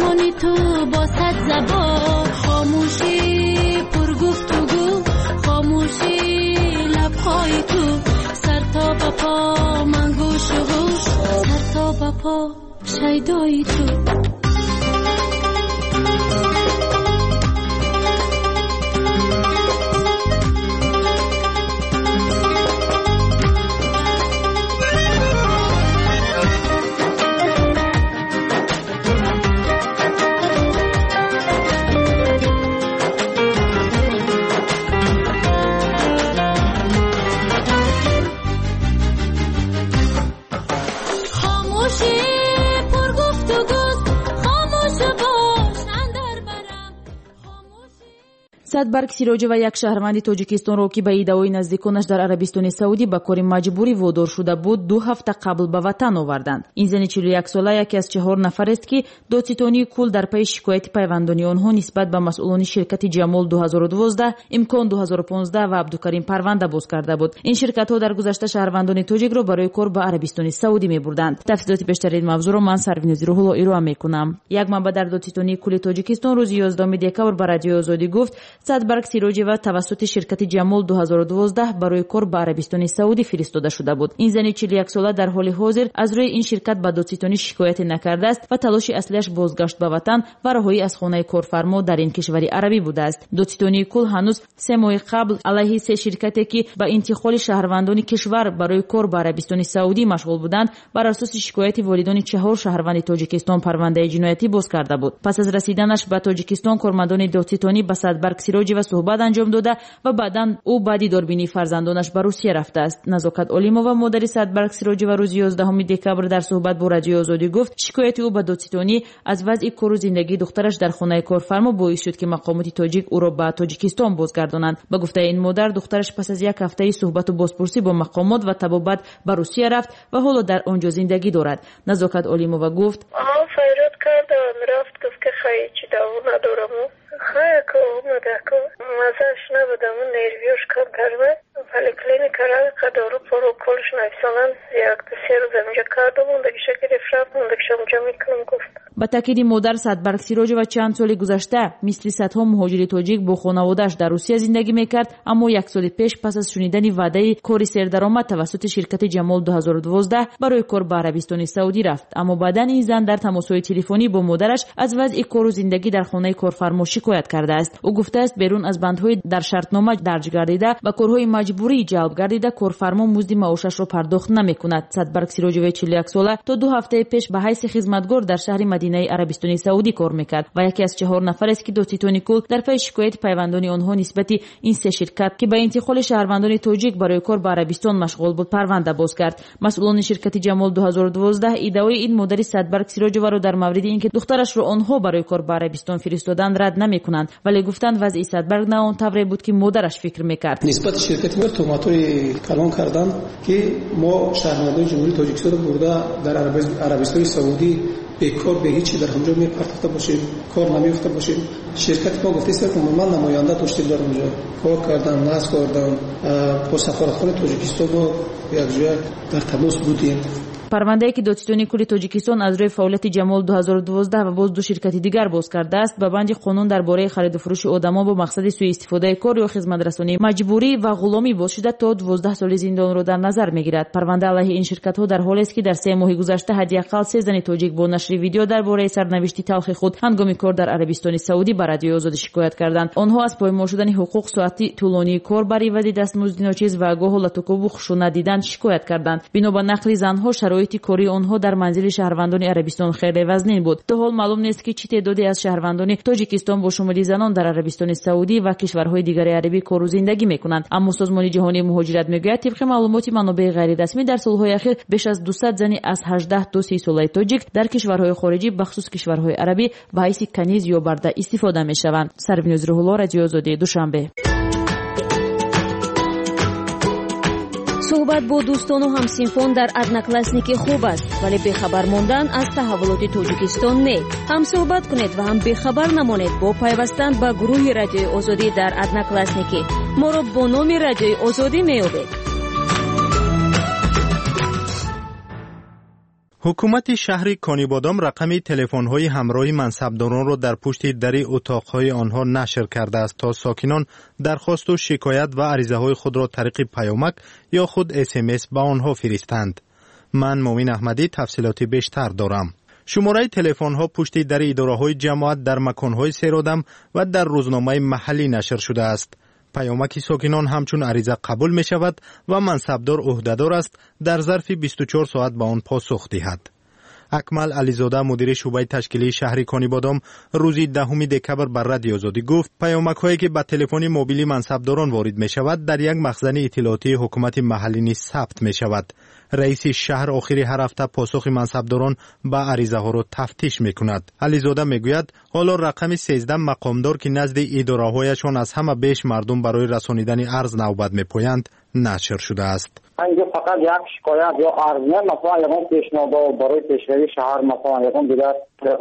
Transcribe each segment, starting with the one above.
Чашмони ту бо сад забон, хомӯшӣ пургуфтугӯ, хомӯшӣ лабҳои ту, сар то ба по ман гӯшу гӯш, сар то ба по шайдои ту. Садбарг Сироҷева, як шаҳрванди Тоҷикистонро, ки ба иддаои наздиконаш дар Арабистони Саудӣ ба кори маҷбурӣ водор шуда буд, 2 ҳафта қабл ба ватан оварданд. Ин зани 41-сола яке аз 4 нафарест, ки додситонии кул дар пайи шикояти пайвандони онҳо нисбат ба масъулони ширкати Ҷамол 2012, Имкон 2015 ва Абдукарим парванда боз карда буд. Ин ширкатҳо дар гузашта шаҳрвандони тоҷикро барои кор ба Арабистони Саудӣ мебурданд. Тафсилоти бештари ин мавзӯъро ман Сарвинози Рӯҳулло ироа мекунам. Як манбаъ дар додситонии кулли Тоҷикистон рӯзи 11 декабр ба Радиои Озодӣ гуфт, Садбарг Сироҷева тавассути ширкати Ҷамол 2012 барои кор ба Арабистони Саудӣ фиристода шуда буд. Ин зани 41-сола дар ҳоли ҳозир аз рӯи ин ширкат ба додситонӣ шикояте накардааст ва талоши аслиаш бозгашт ба ватан ва раҳоӣ аз хонаи корфармо дар ин кишвари арабӣ будааст. Додситонии кул ҳанӯз 3 моҳи қабл алайҳи 3 ширкате, ки ба интиқоли шаҳрвандони кишвар барои кор ба Арабистони Саудӣ машғул буданд, бар асоси шикояти волидони 4 шаҳрванди Тоҷикистон парвандаи ҷиноятӣ боз карда буд. Пас аз расиданаш ба Тоҷикистон кормандони додситонӣ ба Садбарг Сироҷева суҳбат анҷом дода ва баъдан ӯ баъди дорбинии фарзандонаш ба Русия рафтааст. Назокат Олимова, модари Садбарг Сироҷева, рӯзи 11 декабр дар суҳбат бо Радиои Озодӣ гуфт, шикояти ӯ ба додситонӣ аз вазъи кору зиндагии духтараш дар хонаи корфармо боис шуд, ки мақомоти тоҷик ӯро ба Тоҷикистон бозгардонанд. Ба гуфтаи ин модар, духтараш пас аз як ҳафтаи суҳбату бозпурсӣ бо мақомот ва табобат ба Русия рафт ва ҳоло дар он ҷо зиндагӣ дорад. Назокат Олимова гуфт: фарёд кардам, рафт, гуфт ки хай ҳеҷ даво надорам. Хай омада, мазааш набудам, нервиёш кам карда, поликлиника рафт, дору пору колш нависонанд, 1-3 рӯз инҷа кардам, мондагиша гирифт рафт, мондагиша онҷа мекунам, гуфт. Ба таъкиди модар, Садбарг Сироҷева чанд соли гузашта мисли садҳо муҳоҷири тоҷик бо хонаводааш дар Русия зиндагӣ мекард, аммо як соли пеш пас аз шунидани ваъдаи кори сердаромад тавассути ширкати Ҷамол 2012 барои кор ба Арабистони Саудӣ рафт. Аммо баъдан ин зан дар тамосҳои телефонӣ бо модараш аз вазъи кору зиндагӣ дар хонаи корфармо шикоят кардааст. Ӯ гуфтааст, берун аз бандҳои дар шартнома дарҷ гардида ба корҳои маҷбурӣ ҷалб гардида, корфармо музди маошашро пардохт намекунад. Садбарг Сироҷеваи 41-сола то 2 ҳафтаи пеш ба ҳайси хизматгор дар шаҳри Мадинаи Арабистони Саудӣ кор мекард ва яке аз 4 нафарест, ки додситони кул дар пайи шикояти пайвандони онҳо нисбати ин 3 ширкат, ки ба интиқоли шаҳрвандони тоҷик барои кор ба Арабистон машғул буд, парванда боз кард. Масъулони ширкати Ҷамол 2012 иддаои ин модари Садбарг Сироҷеваро дар мавриди ин ки духтарашро онҳо барои кор ба Арабистон фиристоданд, рад намекунанд, вале гуфтанд вазъи Садбарг на он тавре буд, ки модараш фикр мекард. Нисбати ширкати мо туҳматҳои калон карданд, ки мо шаҳрвандони Ҷумҳурии Тоҷикистонро бурда дар Арабистони Саудӣ бекор, бе ҳеҷ дар ҳамҷо мепартофта бошем, кор намеёфта бошем. Ширкати мо гуфтааст, ки умуман намоянда доштем дар онҷо, кор кардан, насб кардан, бо сафоратхонаи Тоҷикистон мо якҷоя дар тамос будем. Парвандае, ки додситонии кулли Тоҷикистон аз рӯи фаъолияти Ҷамол 2012 ва боз 2 ширкати дигар боз кардааст, ба банди қонун дар бораи хариду фурӯши одамон бо мақсади сӯиистифодаи кор ё хизматрасонии маҷбурӣ ва ғуломӣ боз шуда то 12 соли зиндонро дар назар мегирад. Парванда алайҳи ин ширкатҳо дар ҳолест, ки дар 3 моҳи гузашта ҳадди ақал 3 зани тоҷик бо нашри видео дар бораи сарнавишти талхи худ ҳангоми кор дар Арабистони Саудӣ ба Радиои Озодӣ шикоят карданд. Онҳо аз поймол шудани ҳуқуқ, соати тӯлонии кор бар ивази дастмузди ночиз ва гоҳ латукӯбу хушунат дидан шикоят карданд. Бино ба нақли занҳо, шароити кории онҳо дар манзили шаҳрвандони Арабистон хеле вазнин буд. То ҳол маълум нест, ки чӣ теъдоде аз шаҳрвандони Тоҷикистон бо шумули занон дар Арабистони Саудӣ ва кишварҳои дигари арабӣ кору зиндагӣ мекунанд. Аммо Созмони ҷаҳонии муҳоҷират мегӯяд, тибқи маълумоти манобеи ғайрирасмӣ дар солҳои ахир беш аз 200 зани аз 18 то 30 солаи тоҷик дар кишварҳои хориҷӣ, бахусус кишварҳои арабӣ, ба ҳайси каниз ё барда истифода мешаванд. Сарвиноз Рӯҳулло, Радиои Озодӣ, Душанбе. Суҳбат бо дӯстону ҳамсинфон дар Одноклассники хуб аст, вале бехабар мондан аз таҳаввулоти Тоҷикистон не. Ҳам суҳбат кунед ва ҳам бехабар намонед бо пайвастан ба гурӯҳи Радиои Озодӣ дар Одноклассники. Моро бо номи Радиои Озодӣ меёбед. Ҳукумати шаҳри Конибодом рақами телефонҳои ҳамроҳи мансабдоронро дар пушти дари утоқҳои онҳо нашр кардааст, то сокинон дархосту шикоят ва аризаҳои худро тариқи паёмак ё худ СМС ба онҳо фиристанд. Ман Муъмин Аҳмадӣ тафсилоти бештар дорам. Шумораи телефонҳо пушти дари идораҳои ҷамоат, дар маконҳои серодам ва дар рӯзномаи маҳаллӣ нашр шудааст. Паёмаки сокинон ҳамчун ариза қабул мешавад ва мансабдор ӯҳдадор аст дар зарфи 24 соат ба он посух диҳад. Акмал Ализода, мудири шӯъбаи ташкилии шаҳри Конибодом, рӯзи 10 декабр ба Радиои Озодӣ гуфт, паёмакҳое ки ба телефони мобилии мансабдорон ворид мешавад, дар як махзани иттилоотии ҳукумати маҳаллӣ низ сабт мешавад. Раиси шаҳр охири ҳар ҳафта посухи мансабдорон ба аризаҳоро тафтиш мекунад. Ализода мегӯяд, ҳоло рақами 13 мақомдор, ки назди идораҳояшон аз ҳама беш мардум барои расонидани арз навбат мепоянд, нашр шудааст. Инҷо фақат як шикоят ё арз не, масалан ягон пешниҳодҳо барои пешравии шаҳр, масалан ягон дигар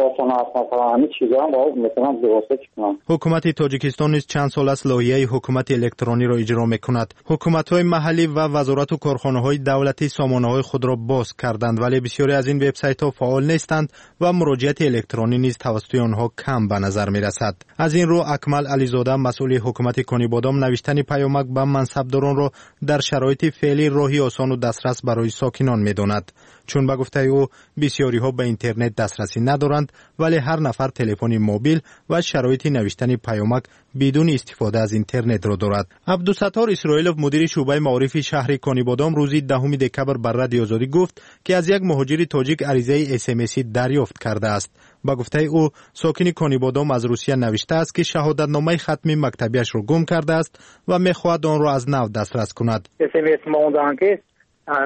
осон аст, масалан ҳамин чизҳоам метавонанд бевосита чӣ кунанд. Ҳукумати Тоҷикистон низ чанд сол аст лоиҳаи ҳукумати электрониро иҷро мекунад. Ҳукуматҳои маҳаллӣ ва вазорату корхонаҳои давлатӣ сомонаҳои худро боз карданд, вале бисёре аз ин вебсайтҳо фаъол нестанд ва муроҷиати электронӣ низ тавассути онҳо кам ба назар мерасад. Аз ин рӯ Акмал Ализода, масъули ҳукумати Конибодом, навиштани паёмак ба мансабдоронро дар шароити феълӣ роҳи осону дастрас барои сокинон медонад. Чун ба гуфтаи ӯ бисёриҳо ба интернет дастрасӣ надоранд, вале ҳар нафар телефони мобил ва шароити навиштани паёмак бидуни истифода аз интернетро дорад. Абдусаттор Исроилов, мудири шӯъбаи маорифи шаҳри Конибодом, рӯзи 10 декабр ба Радиои Озодӣ гуфт, ки аз як муҳоҷири тоҷик аризаи СМС дарёфт кардааст. Ба гуфтаи ӯ сокини Конибодом аз Русия навиштааст, ки шаҳодатномаи хатми мактабиашро гум кардааст ва мехоҳад онро аз нав дастрас кунад. СМС мондаанд, ки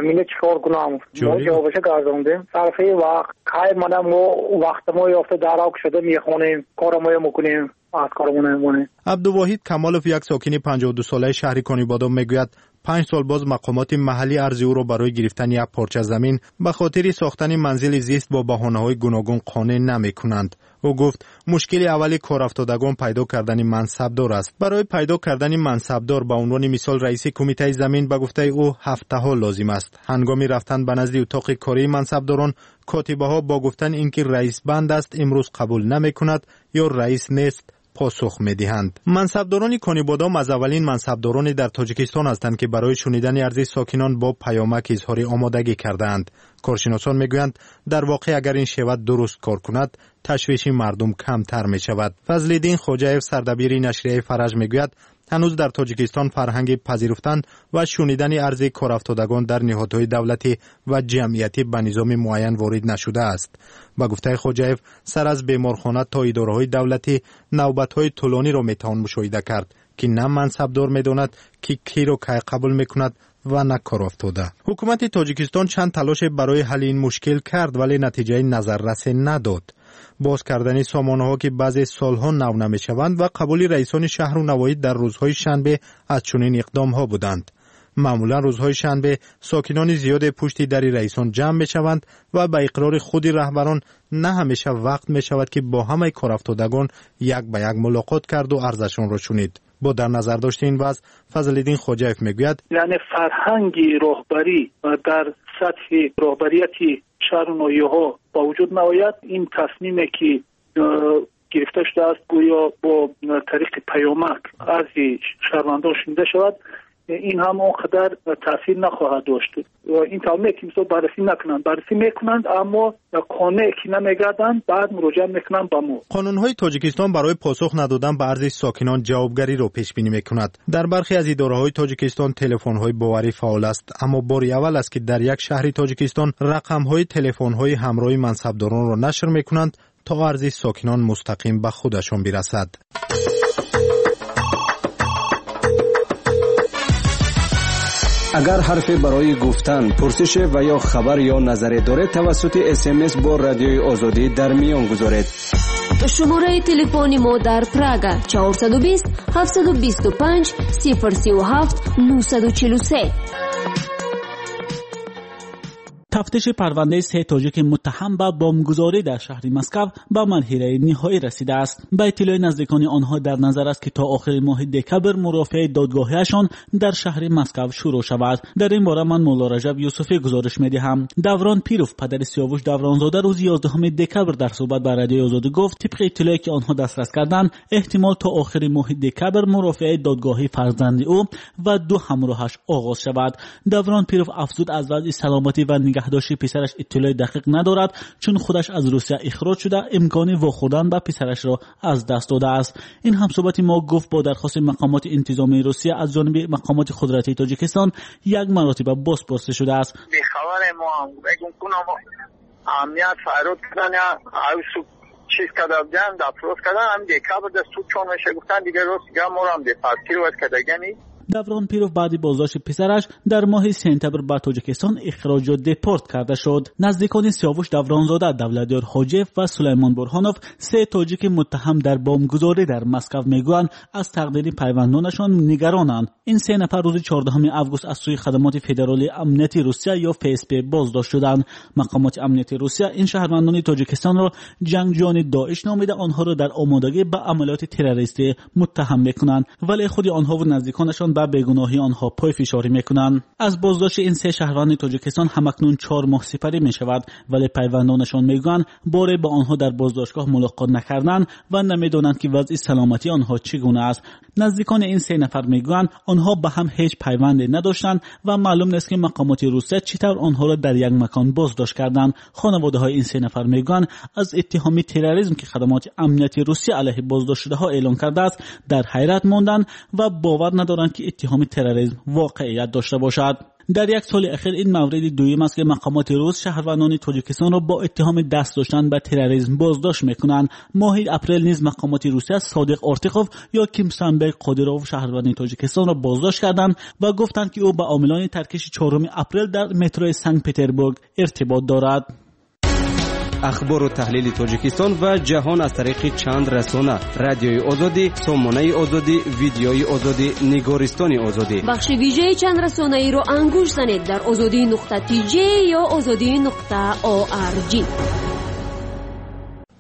мине чӣ кор кунам? Мо ҷавобаша гардондем. Сарфи вақт кай мана мо вақтамо ёфта дарав шуда мехонем, корамоя мекунем, аз корамона мемонем. Абдувоҳид Камолов, як сокини 52-солаи шаҳри Конибодом, мегӯяд, 5 сол боз мақомоти маҳаллӣ арзи ӯро барои гирифтани як порча замин ба хотири сохтани манзили зист бо баҳонаҳои гуногун қонеъ намекунанд. Ӯ гуфт, мушкили аввали корафтодагон пайдо кардани мансабдор аст. Барои пайдо кардани мансабдор, ба унвони мисол раиси кумитаи замин, ба гуфтаи ӯ ҳафтаҳо лозим аст. Ҳангоми рафтан ба назди утоқи кории мансабдорон, котибаҳо бо гуфтан ин ки раис банд аст, имрӯз қабул намекунад ё раис нест посух медиҳанд. Мансабдорони Конибодом аз аввалин мансабдороне дар Тоҷикистон ҳастанд, ки барои шунидани арзи сокинон бо паёмак изҳори омодагӣ кардаанд. Коршиносон мегӯянд, дар воқеъ агар ин шева дуруст кор кунад, ташвиши мардум камтар мешавад. Фазлиддин Хоҷаев, сардабири нашрияи Фараҷ, мегӯяд, ҳанӯз дар Тоҷикистон фарҳанги пазируфтан ва шунидани арзи корафтодагон дар ниҳодҳои давлатӣ ва ҷамъиятӣ ба низоми муайян ворид нашудааст. Ба гуфтаи Хоҷаев, сар аз беморхона то идораҳои давлатӣ навбатҳои тӯлониро метавон мушоҳида кард, ки на мансабдор медонад, ки киро кай қабул мекунад ва на корафтода. Ҳукумати Тоҷикистон чанд талоше барои ҳалли ин мушкил кард, вале натиҷаи назаррасе надод. Боз кардани сомонаҳо, ки баъзе солҳо нав намешаванд, ва қабули раисони шаҳру навоҳӣ дар рӯзҳои шанбе аз чунин иқдомҳо буданд. Маъмулан рӯзҳои шанбе сокинони зиёде пушти дари раисон ҷамъ мешаванд ва ба иқрори худи раҳбарон на ҳамеша вақт мешавад, ки бо ҳамаи корафтодагон як ба як мулоқот карду арзашонро шунид. Бо дар назар дошти ин вазъ, Фазлиддин Хоҷаев мегӯяд, яъне фарҳанги роҳбарӣ дар сатҳи роҳбарияти шаҳру ноҳияҳо ба вуҷуд наояд, ин тасмиме ки гирифта шудааст, гӯё бо тариқи паёмак арзи шаҳрвандон шунида шавад, ин ҳам он қадар таъсир нахоҳад дошт. Ин тавр ки мисол баррасӣ накунанд, баррасӣ мекунанд, аммо қонеъ ки намегарданд, баъд муроҷиат мекунанд ба мо. Қонунҳои Тоҷикистон барои посух надодан ба арзи сокинон ҷавобгариро пешбинӣ мекунад. Дар бархе аз идораҳои Тоҷикистон телефонҳои боварӣ фаъол аст, аммо бори аввал аст, ки дар як шаҳри Тоҷикистон рақамҳои телефонҳои ҳамроҳи мансабдоронро нашр мекунанд, то арзи сокинон мустақим ба худашон бирасад. Агар ҳарфе барои гуфтан, пурсише ва ё хабар ё назаре доред, тавассути СМС бо Радиои Озодӣ дар миён гузоред. Шумораи телефони мо дар Прага 420 725 037 943. Тафтиши парвандаи се тоҷики муттаҳам ба бомбгузорӣ дар шаҳри Москва ба марҳилаи ниҳоӣ расидааст. Ба иттилои наздикони онҳо дар назар аст, ки то охири моҳи декабр мурофиаи додгоҳиашон дар шаҳри Москва шурӯъ шавад. Дар ин бора ман Мулло Раҷаб Юсуфӣ гузориш медиҳам. Даврон Пиров, падари Сиёвуш Давронзода, рӯзи 11 декабр дар суҳбат ба Радиои Озодӣ гуфт, тибқи иттилое ки онҳо дастрас карданд, эҳтимол то охири моҳи декабр мурофиаи додгоҳии фарзанди ӯ ва ду ҳамроҳаш оғоз шавад. Даврон Пиров афзуд, аз вазъи саломатӣ ва нигаҳдошти писараш иттилои дақиқ надорад, чун худаш аз Русия ихроҷ шуда, имкони вохӯрдан ба писарашро аз даст додааст. Ин ҳамсуҳбати мо гуфт, бо дархости мақомоти интизомии Русия аз ҷониби мақомоти қудратии Тоҷикистон як маротиба бозпурсӣ шудааст. Амният файрод кардан, чиз карда буданд, допрос кардан, ҳам декабр дар суд чон меша гуфтан, дигар рост дигар моро ҳам депортировать кардагани. Даврон Пиров баъди боздошти писараш дар моҳи сентябр ба Тоҷикистон ихроҷу депорт карда шуд. Наздикони Сиёвуш Давронзода, Давлатёр Ҳоҷиев ва Сулаймон Бурҳонов, се тоҷики муттаҳам дар бомбгузорӣ дар Москва, мегӯянд, аз тақдири пайвандонашон нигаронанд. Ин се нафар рӯзи 14 август аз сӯи хадамоти федералии амнияти Русия ё ФСБ боздошт шуданд. Мақомоти амнияти Русия ин шаҳрвандони Тоҷикистонро ҷангҷӯёни Доиш номида, онҳоро дар омодагӣ ба амалиёти террористӣ муттаҳам мекунанд, вале худи онҳову наздиконашон ба бегуноҳии онҳо пойфишорӣ мекунанд. Аз боздошти ин се шаҳрванди Тоҷикистон ҳамакнун 4 моҳ сипарӣ мешавад, вале пайвандонашон мегӯянд, боре ба онҳо дар боздоштгоҳ мулоқот накарданд ва намедонанд, ки вазъи саломатии онҳо чӣ гуна аст. Наздикони ин се нафар мегӯянд, онҳо ба ҳам ҳеҷ пайванде надоштанд ва маълум нест, ки мақомоти Русия чӣ тавр онҳоро дар як макон боздошт карданд. Хонаводаҳои ин се нафар мегӯянд, аз иттиҳоми терроризм, ки хадамоти амнияти Русия алайҳи боздоштшудаҳо эълон кардааст, дар ҳайрат монданд ва бовар надоранд, ки иттиҳоми терроризм воқеият дошта бошад. Дар як соли ахир ин мавриди дуюм аст, ки мақомоти рус шаҳрвандони Тоҷикистонро бо иттиҳоми даст доштан ба терроризм боздошт мекунанд. Моҳи апрел низ мақомоти Русия Содиқ Ортиқов ё Кимсанбек Қодиров, шаҳрванди Тоҷикистонро боздошт карданд ва гуфтанд, ки ӯ ба омилони таркиши 4 апрел дар метрои Санкт-Петербург иртибот дорад. Ахбору таҳлили Тоҷикистон ва ҷаҳон аз тариқи чанд расона: Радиои Озодӣ, Сомонаи Озодӣ, Видеои Озодӣ, Нигористони Озодӣ. Бахши вижаи чанд расонаиро ангушт занед дар озодӣ нуқта тж ё озодӣ нуқта орг.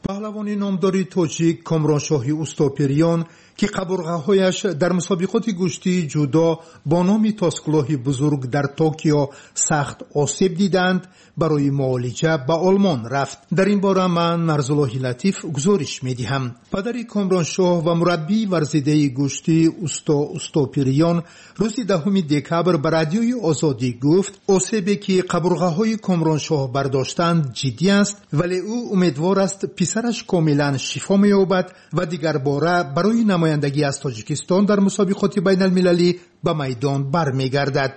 Паҳлавони номдори тоҷик Комроншоҳи Устопириён, ки қабурғаҳояш дар мусобиқоти гӯштии ҷудо бо номи Тоскулоҳи бузург дар Токио сахт осеб диданд, барои муолиҷа ба Олмон рафт. Дар ин бора ман Нарзуллоҳи Латиф гузориш медиҳам. Падари Комроншоҳ ва мураббии варзидаи гӯштӣ Усто Устопириён рӯзи 10 декабр ба Радиои Озодӣ гуфт, осебе ки қабурғаҳои Комроншоҳ бардоштанд ҷиддӣ аст, вале ӯ умедвор аст, писараш комилан шифо меёбад ва дигарбора барои намояндагӣ аз Тоҷикистон дар мусобиқоти байналмилалӣ ба майдон бармегардад.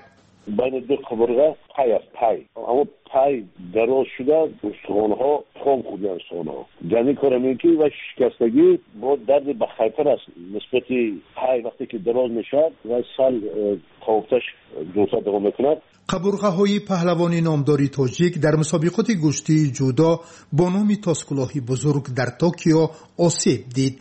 Байни ду қабурға пай аст, пай. Аммо пай дароз шуда, устухонҳо хом хӯрданд устухонҳо. Ҷамъи кор ҳамин ки ва шикастагӣ бо дарди бахайтар аст нисбати пай, вақте ки дароз мешавад ва сал қовуфташ дуртар давом мекунад. Қабурғаҳои паҳлавони номдори тоҷик дар мусобиқоти гӯштии ҷудо бо номи Тоскулоҳи бузург дар Токио осеб дид.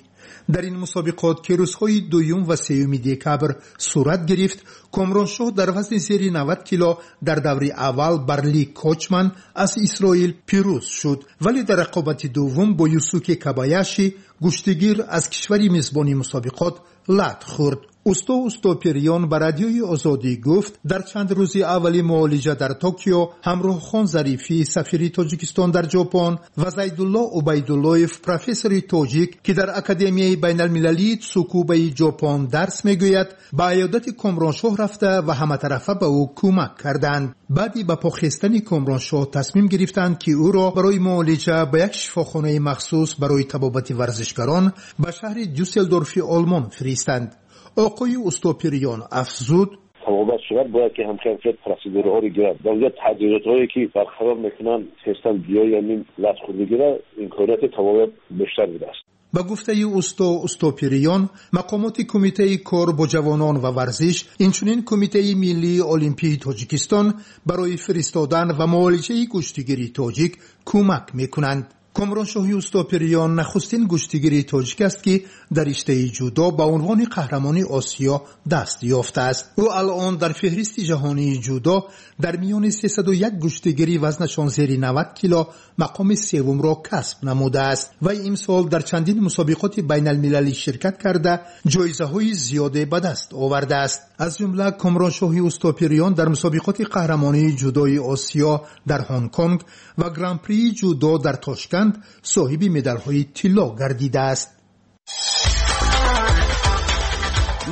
Дар ин мусобиқот, ки рӯзҳои 2 ва 3 декабр сурат гирифт, Комроншоҳ дар вазни зери 90 кило дар даври аввал бар Ли Кочман аз Исроил пирӯз шуд, вале дар рақобати дуввум бо Юсуке Кабаяши, гӯштигир аз кишвари мизбони мусобиқот, лат хӯрд. Усто Устопириён ба Радиои Озодӣ гуфт, дар чанд рӯзи аввали муолиҷа дар Токио Ҳамроҳхон Зарифӣ, сафири Тоҷикистон дар Ҷопон, ва Зайдулло Убайдуллоев, профессори тоҷик, ки дар Академияи байналмилалии Цукубаи Ҷопон дарс мегӯяд, ба аёдати Комроншоҳ рафта ва ҳаматарафа ба ӯ кӯмак карданд. Баъди ба по хестани Комроншоҳ тасмим гирифтанд, ки ӯро барои муолиҷа ба як шифохонаи махсус барои табобати варзишгарон ба шаҳри Дюсселдорфи Олмон фиристанд. Оқои Устопириён афзуд: табобат шавад, бояд ки ҳамхел процедураҳоро гирад. Дар онҷо таҷҳизотҳое ки барқарор мекунанд, хестан биёи ҳамин латхӯрдагиро, имконияти табобат бештар будааст. Ба гуфтаи Усто Устопириён, мақомоти Кумитаи кор бо ҷавонон ва варзиш, инчунин Кумитаи миллии олимпии Тоҷикистон барои фиристодан ва муолиҷаи гӯштигири тоҷик кӯмак мекунанд. Комроншоҳи Устопириён нахустин гӯштигири тоҷик аст, ки дар риштаи ҷудо ба унвони қаҳрамони Осиё даст ёфтааст. Ӯ алъон дар феҳристи ҷаҳонии ҷудо дар миёни 301 гӯштигири вазнашон зери 90 кило мақоми севумро касб намудааст. Вай имсол дар чандин мусобиқоти байналмилалӣ ширкат карда, ҷоизаҳои зиёде ба даст овардааст. Аз ҷумла Комроншоҳи Устопириён дар мусобиқоти қаҳрамонии ҷудои Осиё дар Ҳонконг ва Гран-прии ҷудо дар Тошканд соҳиби медалҳои тилло гардидааст.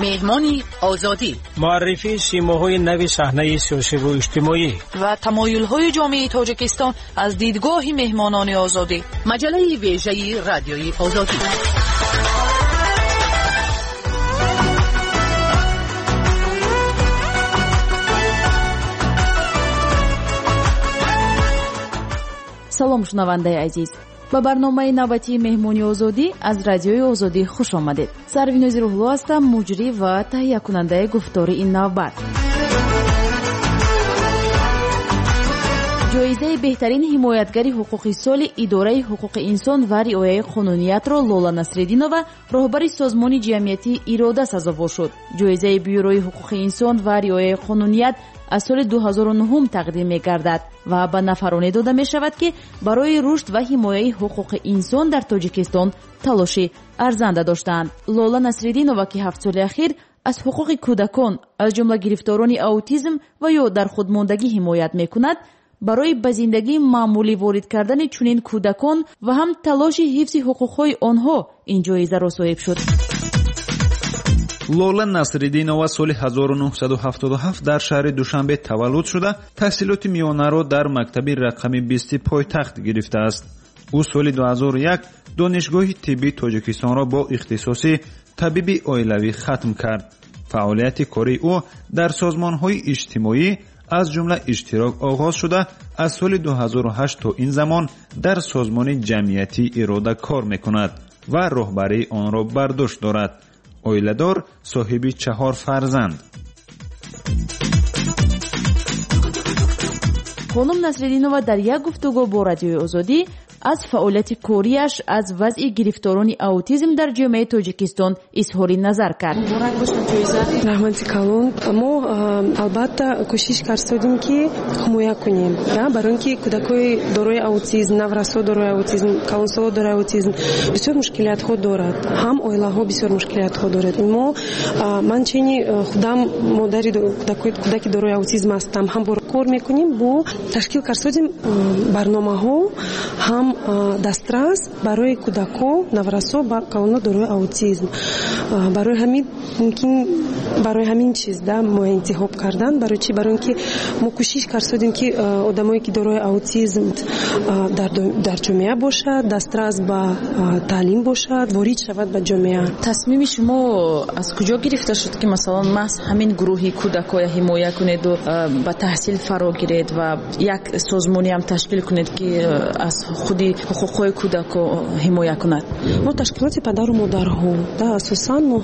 Меҳмони Озодӣ. Муаррифии симоҳои нави саҳнаи сиёсиву иҷтимоӣ ва тамоюлҳои ҷомеаи Тоҷикистон аз дидгоҳи меҳмонони Озодӣ. Маҷаллаи вежаи Радиои Озодӣ. Салом, шунавандаи азиз, ба барномаи навбатии Меҳмони Озодӣ аз Радиои Озодӣ хуш омадед. Сарвинози Рӯҳло ҳастам, муҷрӣ ва таҳиякунандаи гуфтори ин навбат. Ҷоизаи беҳтарин ҳимоятгари ҳуқуқи соли Идораи ҳуқуқи инсон ва риояи қонуниятро Лола Насреддинова, роҳбари созмони ҷамъиятии Ирода, сазовор шуд. Ҷоизаи Бюрои ҳуқуқи инсон ва риояи қонуният аз соли 2009 тақдим мегардад ва ба нафароне дода мешавад, ки барои рушд ва ҳимояи ҳуқуқи инсон дар Тоҷикистон талоши арзанда доштаанд. Лола Насреддинова, ки 7 соли ахир аз ҳуқуқи кӯдакон, аз ҷумла гирифторони аутизм ва ё дар худмондагӣ ҳимоят мекунад, барои ба зиндагии маъмулӣ ворид кардани чунин кӯдакон ва ҳам талоши ҳифзи ҳуқуқҳои онҳо ин ҷоизаро соҳиб шуд. Лола Насриддинова соли 1977 дар шаҳри Душанбе таваллуд шуда, таҳсилоти миёнаро дар мактаби рақами 20 пойтахт гирифтааст. Ӯ соли 2001 Донишгоҳи тиббии Тоҷикистонро бо ихтисоси табиби оилавӣ хатм кард. Фаъолияти кории ӯ дар созмонҳои иҷтимоӣ, аз ҷумла Иштирок, оғоз шуда, аз соли 2008 то ин замон дар созмони ҷамъиятии Ирода кор мекунад ва роҳбарии онро бар дӯш дорад. Оиладор, соҳиби 4 фарзанд. Хонум Насреддинова дар як гуфтугӯ бо Радиои Озодӣ аз фаъолияти кориаш, аз вазъи гирифторони аутизм дар ҷомеаи Тоҷикистон изҳори назар кард. Муборак бошад ҷоиза. Раҳмати калон. Мо албатта кӯшиш кардем, ки ҳимоя кунем, барои он ки кӯдакои дорои аутизм, наврасо дорои аутизм, калонсоло дорои аутизм бисёр мушкилиятҳо дорад, ҳам оилаҳо бисёр мушкилиятҳо дорад. Мо, ман чени худам модари кӯдаки дорои аутизм ҳастам, ҳам кор мекунем, бо ташкил кардем барномаҳо ҳам дастрас барои кӯдако, наврасо, калоно дорои аутизм. Барои ҳамин мумкин, барои ҳамин чиз да мо интихоб кардан. Барои чи? Барои он ки мо кӯшиш кардем, ки одамое ки дорои аутизм дар ҷомеа бошад, дастрас ба таълим бошад, ворид шавад ба ҷомеа. Тасмими шумо аз куҷо гирифта шуд, ки масалан маҳз ҳамин гурӯҳи кӯдакоя ҳимоя кунеду ба таҳсил фаро гиред ва як созмониам ташкил кунед, ки аз худи ҳуқуқҳои кӯдако ҳимоя кунад? Мо ташкилоти падару модарҳо да, асосан мо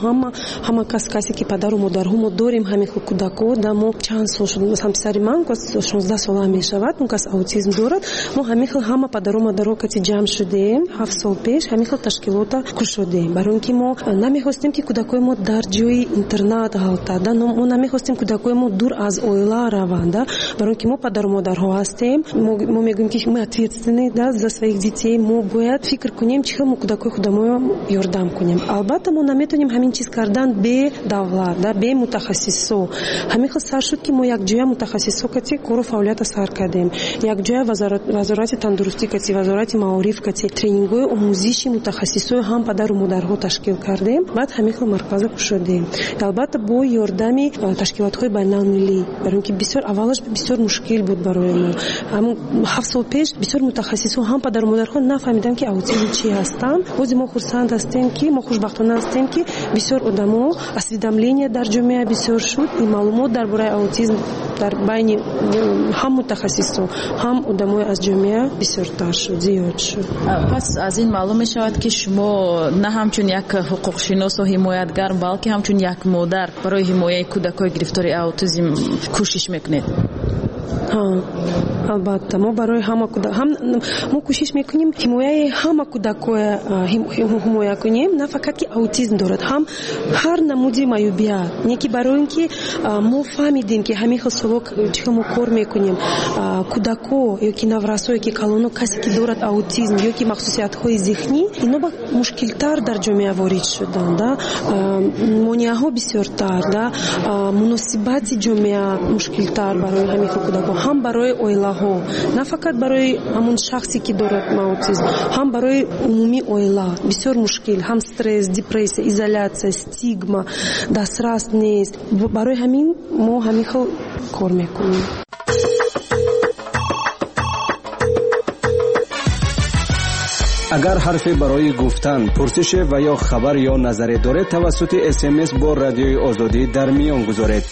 ҳама касе ки падару модарҳо мо дорем ҳамин кӯдако да, мо чанд сол шуд, масалан писари ман 16 сола мешавад, он кас аутизм дорад. Мо ҳамин хел ҳама падару модарҳо кати ҷамъ шудем 7 сол пеш, ҳамин хел ташкилота кушодем, барои он ки мо намехостем, ки кӯдакои мо дар ҷои интернат ғалтад, мо намехостем кӯдакои мо дур аз оила раванд, барои он ки мо падару модарҳо ҳастем. Мо мегӯем, ки мы ответственны, да, за своих детей, мо бояд фикр кунем, чӣ хел мо кӯдакои худаморо ёрдам кунем. Албатта мо наметавонем ҳамин чиз кардан бе давлат, да, бе мутахассисо. Ҳамин хел сар шуд, ки мо якҷоя мутахассисо кати кору фаъолията сар кардем, якҷоя Вазорати тандурустӣ кати, Вазорати маориф кати тренингҳои омӯзиши мутахассисои ҳам падару модарҳо ташкил кардем, баъд ҳамин хел марказа кушодем. Албатта бо ёрдами ташкилотҳои байналмилалӣ, барои он ки бисёр аввалаш бисёр мушкил буд барои мо. Ҳамун 7 сол пеш бисёр мутахассисо ҳам падару модарҳо нафаҳмиданд, ки аутизм чӣ ҳастанд. Ҳозир мо хурсанд ҳастем, ки мо хушбахтона ҳастем, ки бисёр одамо осведомление дар ҷомеа бисёр шуд, ин маълумот дар бораи аутизм дар байни ҳам мутахассисо, ҳам одамои аз ҷомеа бисёртар шуд, зиёд шуд. Пас аз ин маълум мешавад, ки шумо на ҳамчун як ҳуқуқшиносу ҳимоятгар, балки ҳамчун як модар барои ҳимояи кӯдакҳои гирифтори аутизм кӯшиш мекунед. Албатта, мо барои ҳама мо кӯшиш мекунем ҳимояи ҳама кӯдакоя ҳимоя кунем, на фақат ки аутизм дорад, ҳам ҳар намуди маъюбият. Не ки барои ин ки мо фаҳмидем, ки ҳамин хел солҳо чӣ хел мо кор мекунем, кӯдако ё ки наврасо ё ки калоно, касе ки дорад аутизм ё ки махсусиятҳои зеҳнӣ, ино ба мушкилтар дар ҷомеа ворид шудан, да, монеаҳо бисёртар, да, муносибати ҷомеа мушкилтар барои ҳамин хел кӯдако, ҳам барои оилаҳо, на фақат барои ҳамон шахсе ки дорад аутизм, ҳам барои умумии оила бисёр мушкил, ҳам стресс, депрессия, изоляция, стигма, дастрас нест. Барои ҳамин мо ҳамин хел кор мекунем. Агар ҳарфе барои гуфтан, пурсише ва ё хабар ё назаре доред, тавассути СМС бо Радиои Озодӣ дар миён гузоред.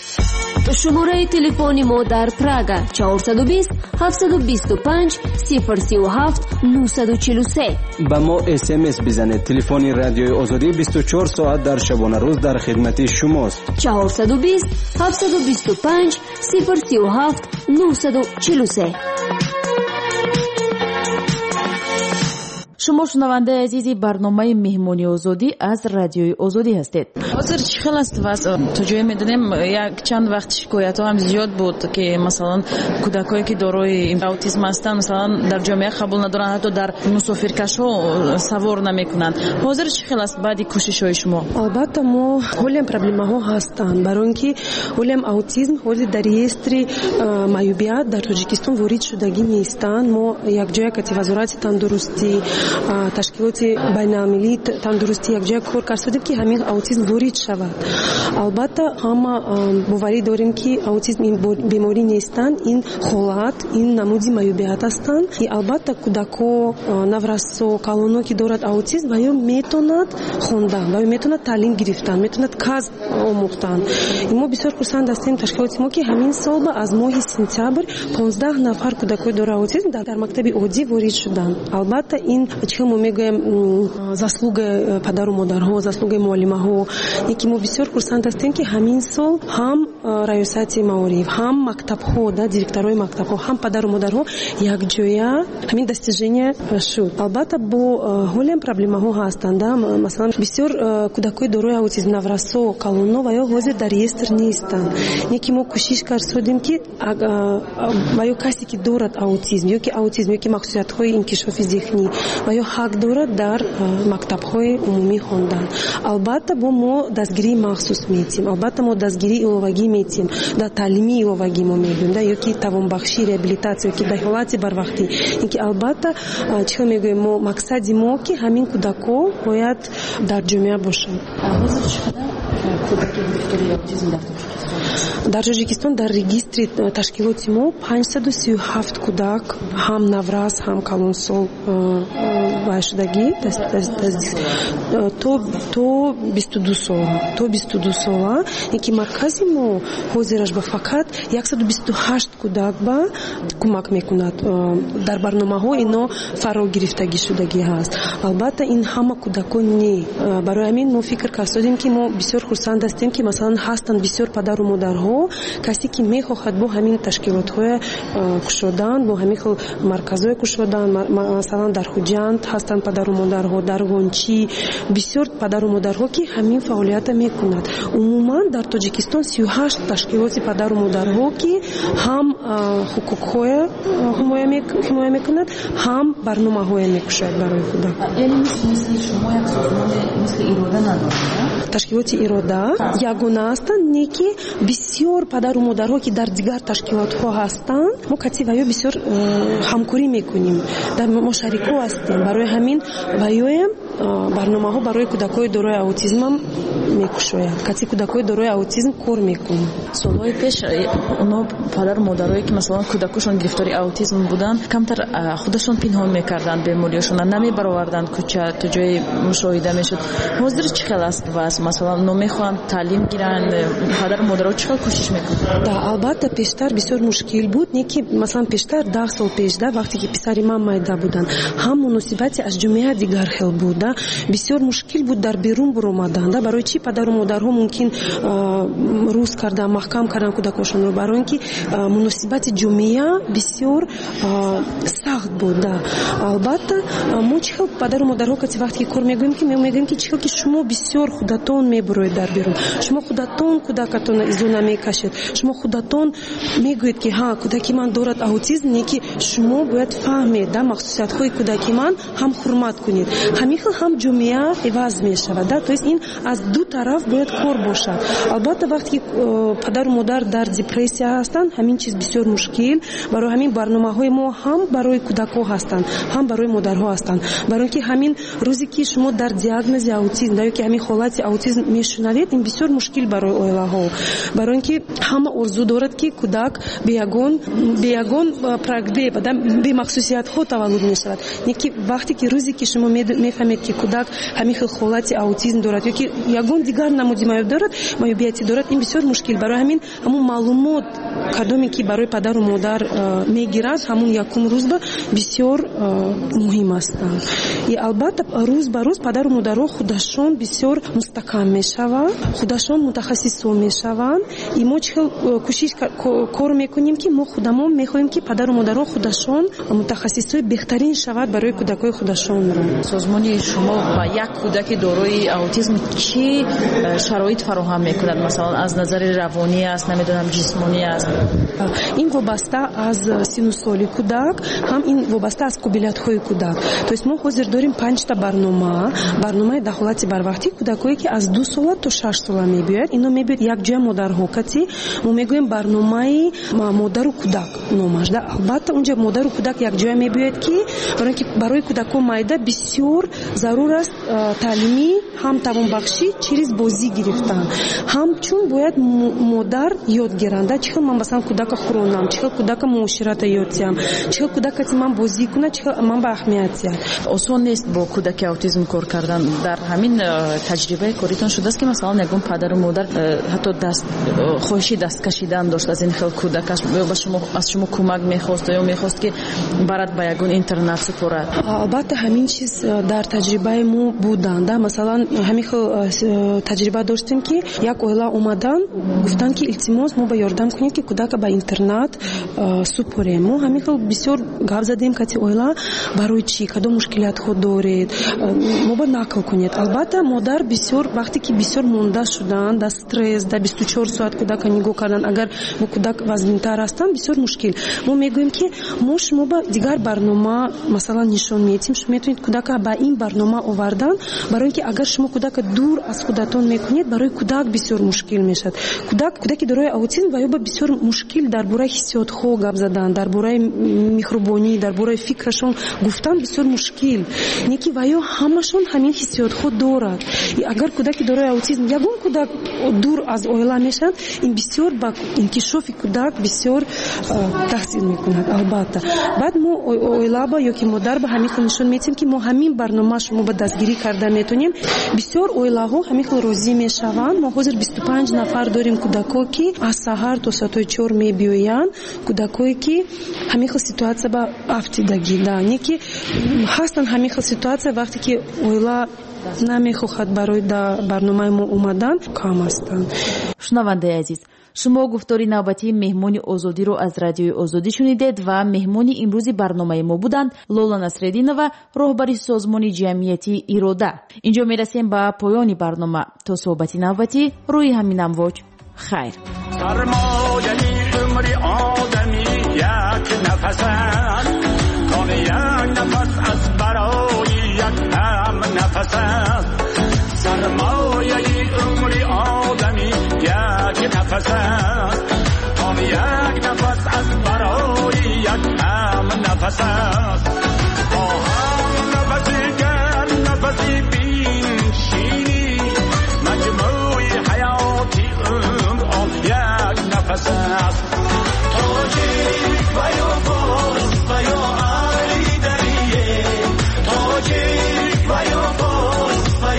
Шумораи телефони мо дар Прага 420 725 037 943. Ба мо СМС бизанед. Телефони Радиои Озодӣ 24 соат дар шабонарӯз дар хидмати шумост. 420 725 037 943. Шумо шунавандаи азизи барномаи Меҳмони Озодӣ аз Радиои Озодӣ ҳастед. Ҳозир чӣ хел аст вазъ? То ҷое медонем, як чанд вақт шикоятҳо ҳам зиёд буд, ки масалан кӯдакое ки дорои аутизм ҳастанд, масалан дар ҷомеа қабул надоранд, ҳатто дар мусофиркашҳо савор намекунанд. Ҳозир чӣ хел аст баъди кӯшишҳои шумо? Албатта, мо ҳолиам проблемаҳо ҳастанд, барои ин ки ҳолиам аутизм ҳозир дар реестри маъюбият дар Тоҷикистон ворид шудагӣ нестанд. Мо якҷоя кати Вазорати тандурустӣ, ташкилоти байналмилалии тандурустӣ якҷоя кор кардем, ки ҳамин аутизм ворид шавад. Албатта, ҳама боварӣ дорем, ки аутизм ин беморӣ нестанд, ин ҳолат, ин намуди маъюбият ҳастанд. И албатта, кӯдако, наврасо, калоно ки дорад аутизм, ва ё метавонад хондан, ва ё метавонад таълим гирифтан, метавонад касб омӯхтан. Мо бисёр хурсанд ҳастем ташкилоти мо, ки ҳамин сол аз моҳи сентябр 15 нафар кӯдакои дорои аутизм дар мактаби оддӣ ворид шуданд. Албатта, ин чӣ мо мегӯем, заслугаи падару модарҳо, заслугаи муаллимаҳо, ки мо бисёр хурсанд ҳастем, ки ҳамин сол ҳам раёсати маориф, ҳам мактабҳо, да, директорҳои мактабҳо, ҳам падару модарҳо якҷоя ҳамин достижение шуд. Албатта, бо ҳолиам проблемаҳо ҳастанд, да, масалан бисёр кӯдакои дорои аутизм, наврасо, калоно ва ё ҳозир дар реестр нестанд. Не ки мо кӯшиш кардем, ки ва ё касе ки дорад аутизм ё ки аутизм ё ки махсусиятҳои инкишофи зеҳнӣ ва ё ҳақ дорад дар мактабҳои умумӣ хондан. Албатта, бо мо дастгирии махсус метиҳем, албатта мо дастгирии иловагӣ метиҳем, дар таълимии иловагӣ мо мегӯем, да, ё ки тавонбахшӣ, реабилитатсия, ё ки дар ҳолати барвақтӣ. Ин ки албатта, чӣ хел мегӯем, мо мақсади мо, ки ҳамин кӯдако бояд дар ҷомеа бошанд. Ҳозир чӣ қадар кӯдаки гирифтори аутизм дар Тоҷикистон? Дар Тоҷикистон дар регистри ташкилоти мо 537 кӯдак, ҳам наврас, ҳам калонсол шудагӣ то 22 сола, то 22 сола. Ин ки маркази мо ҳозираш ба фақат 128 кӯдак ба кӯмак мекунад. Дар барномаҳо ино фаро гирифтагӣ шудагӣ ҳаст. Албатта, ин ҳама кӯдакон не. Барои ҳамин мо фикр кардем, ки мо бисёр хурсанд ҳастем, ки масалан ҳастанд бисёр падару модарҳо, касе ки мехоҳад бо ҳамин ташкилотҳои кушодан, бо ҳамин хел марказҳои кушодан, масалан дар Хуҷанд ҳастанд падару модарҳо, дар Ғончӣ бисёр падару модарҳо, ки ҳамин фаъолиятро мекунад. Умуман дар Тоҷикистон 38 ташкилоти падару модарҳо, ки ҳам ҳуқуқҳоя ҳимоя мекунад, ҳам барномаҳоя мекушояд барои кӯдак. Яъне мисли шумо як созмоне мисли Ирода надорад? Ташкилоти Ирода ягона ҳастанд, не ки бисёр падару модарҳо, ки дар дигар ташкилотҳо ҳастанд, мо кати ва ё бисёр ҳамкорӣ мекунем, мо шарико ҳастем. Барои ҳамин ва ёем барномаҳо барои кӯдакои дорои аутизмам мекушояд. Кати кӯдакои дорои аутизм кор мекунем. Солҳои пеш оно падару модарое ки масалан кӯдакошон гирифтори аутизм буданд, камтар худашон пинҳон мекарданд бемориёшонро, намебароварданд кӯча, то ҷое мушоҳида мешуд. Ҳозир чӣ хел аст вазъ? Масалан, оно мехоҳанд таълим гиранд, падару модаро чӣ хел кӯшиш мекунанд? Да, албатта, пештар бисёр мушкил буд, не ки масалан пештар 10 сол пеш, да, вақте ки писари ман майда буданд, ҳам муносибати аз ҷомеа дигар хел буд, да, да, бисёр мушкил буд дар берун буромадан, да. Барои чӣ падару модарҳо мумкин рӯз кардан, маҳкам кардан кӯдакошонро? Барои ин ки муносибати ҷомеа бисёр сахт буд, да. Албатта, мо чӣ хел падару модарҳо кати вақте ки кор мегӯем, ки мегӯем, ки чӣ хел ки шумо бисёр худатон мебуроед дар берун, шумо худатон кӯдакатонро изо намекашед, шумо худатон мегӯед, ки ҳа, кӯдаки ман дорад аутизм, не ки шумо бояд фаҳмед, да, махсусиятҳои кӯдаки ман, ҳам ҳурмат кунед. Ҳамин хел ҳам ҷомеа иваз мешавад, да. То есть ин аз ду тараф бояд кор бошад. Албатта, вақте ки падару модар дар депрессия ҳастанд, ҳамин чиз бисёр мушкил. Барои ҳамин барномаҳои мо ҳам барои кӯдакҳо ҳастанд, ҳам барои модарҳо ҳастанд. Барои ин ки ҳамин рӯзе ки шумо дар диагнози аутизм ё ки ҳамин ҳолати аутизм мешунавед, ин бисёр мушкил барои оилаҳо. Барои ин ки ҳама орзу дорад, ки кӯдак бе ягон бемахсусиятҳо таваллуд мешавад. Не ки вақте ки рӯзе ки шумо мефаҳмед, ки кӯдак ҳамин хел ҳолати аутизм дорад ё ки ягон дигар намуди маёб дорад, маёбияти дорад, ин бисёр мушкил. Барои ҳамин ҳамун маълумот, кадоме ки барои падару модар мегирад, ҳамун якум рӯзба бисёр муҳим ҳастанд. И албатта, рӯз ба рӯз падару модарҳо худашон бисёр мустаҳкам мешаванд, худашон мутахассисо мешаванд. И мо чӣ хел кӯшиш кор мекунем, ки мо худамон мехоҳем, ки падару модарҳо худашон мутахассисои беҳтарин шавад барои кӯдакҳои худашонро. Созмони шумо ба як кӯдаки дорои аутизм чӣ шароит фароҳам мекунад? Масалан, аз назари равонӣ аст, намедонам, ҷисмонӣ аст? Ин вобаста аз сину соли кӯдак, ҳам ин вобаста аз қобилиятҳои кӯдак. То есть мо ҳозир дорем панҷта барнома. Барномаи дахолати барвақтӣ, кӯдакое ки аз 2 сола то 6 сола мебиёяд, ино мебиёд якҷоя модарҳо кати. Мо мегӯем, барномаи модару кӯдак номаш, да. Албатта, унҷа модару кӯдак якҷоя мебиёяд, ки барои ки барои кӯдакҳо майда бисёр зарур аст таълимӣ, ҳам тавонбахшӣ через бозӣ гирифтан, ҳамчун бояд модар ёд гиранда, чӣ хел ман, масалан, кӯдака хӯронам, чӣ хел кӯдака муоширата ёд диҳам, чӣ хел кӯдакати ман бозӣ кунад, чӣ хел ман ба аҳамият диҳам. Осон нест бо кӯдаки аутизм кор кардан. Дар ҳамин таҷрибаи коритон шудааст, ки масалан, ягон падару модар ҳатто даст хоҳиши даст кашидан дошт аз ин хел кӯдакаш ё ба шумо, аз шумо кӯмак мехост ё мехост, ки барад ба ягон интернат супорад? Албатта, ҳамин чиз дар таҷрибаи мо буданд, да. Масалан, ҳамин хел таҷриба доштем, ки як оила омадан, гуфтанд, ки илтимос, мо ба ёрдам кунед, ки кӯдака ба интернат супорем. Мо ҳамин хел бисёр гап задем кати оила: барои чӣ, кадом мушкилиятҳо доред, мо ба нақл кунед. Албатта, модар бисёр, вақте ки бисёр монда шуданд дар стресс, дар 24 соат кӯдака нигоҳ кардан, агар бо кӯдак вазнинтар ҳастанд, бисёр мушкил. Мо мегӯем, ки мо шумо ба дигар барнома, масалан, нишон медиҳем, шумо метавонед кӯдака ба ин барнома овардан. Барои ин ки агар шумо кӯдака дур аз худатон мекунед, барои кӯдак бисёр мушкил мешавад. Кӯдак, кӯдаки дорои аутизм ва ё ба бисёр мушкил дар бораи ҳиссиётҳо гап задан, дар бораи меҳрубонӣ, дар бораи фикрашон гуфтан бисёр мушкил. Не ки ва ё ҳамашон ҳамин ҳиссиётҳо дорад. Агар кӯдаки дорои аутизм, ягон кӯдак дур аз оила мешавад, ин бисёр ба инкишофи кӯдак бисёр таъсир мекунад. Албатта, баъд мо оилаба ё ки модар ба ҳамин хел нишон медиҳем, ки мо ҳамин барнома шумо ба дастгирӣ карда метавонем. Бисёр оилаҳо ҳамин хел розӣ мешаванд. Мо ҳозир 25 нафар дорем кӯдакҳо, ки аз саҳар то соатҳои 4 мебиёянд, кӯдакҳое ки ҳамин хел ситуация ба афтидагӣ, да. Не ки ҳастанд ҳамин хел ситуация, вақте ки оила намехоҳад барои барномаи мо омадан, кам ҳастанд. Шунавандаи азиз, шумо гуфтори навбатии меҳмони Озодиро аз Радиои Озодӣ шунидед ва меҳмони имрӯзи барномаи мо буданд Лола Насреддинова, роҳбари созмони ҷамъиятии Ирода. Инҷо мерасем ба поёни барнома. То суҳбати навбатӣ рӯи ҳамин амвоҷ, хайр. Сармояи умри одамӣ як нафас аст, он як нафас аз барои як ҳам нафас аст. Сармояи умри одамӣ як нафас аст, он як нафас аз барои як ҳам нафас аст. Бо ҳам нафаси гар нафаси биншинӣ, маҷмӯи ҳаёти умр он як нафас аст. Тоҷик ва ё форс ва ё аҳли дарие, тоҷик ва ё форс ва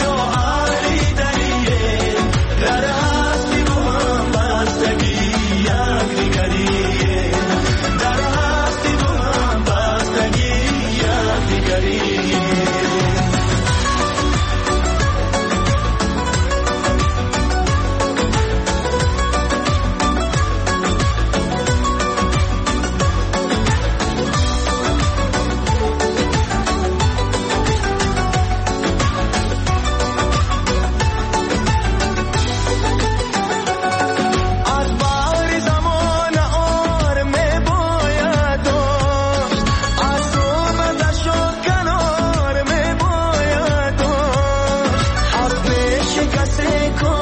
Касе.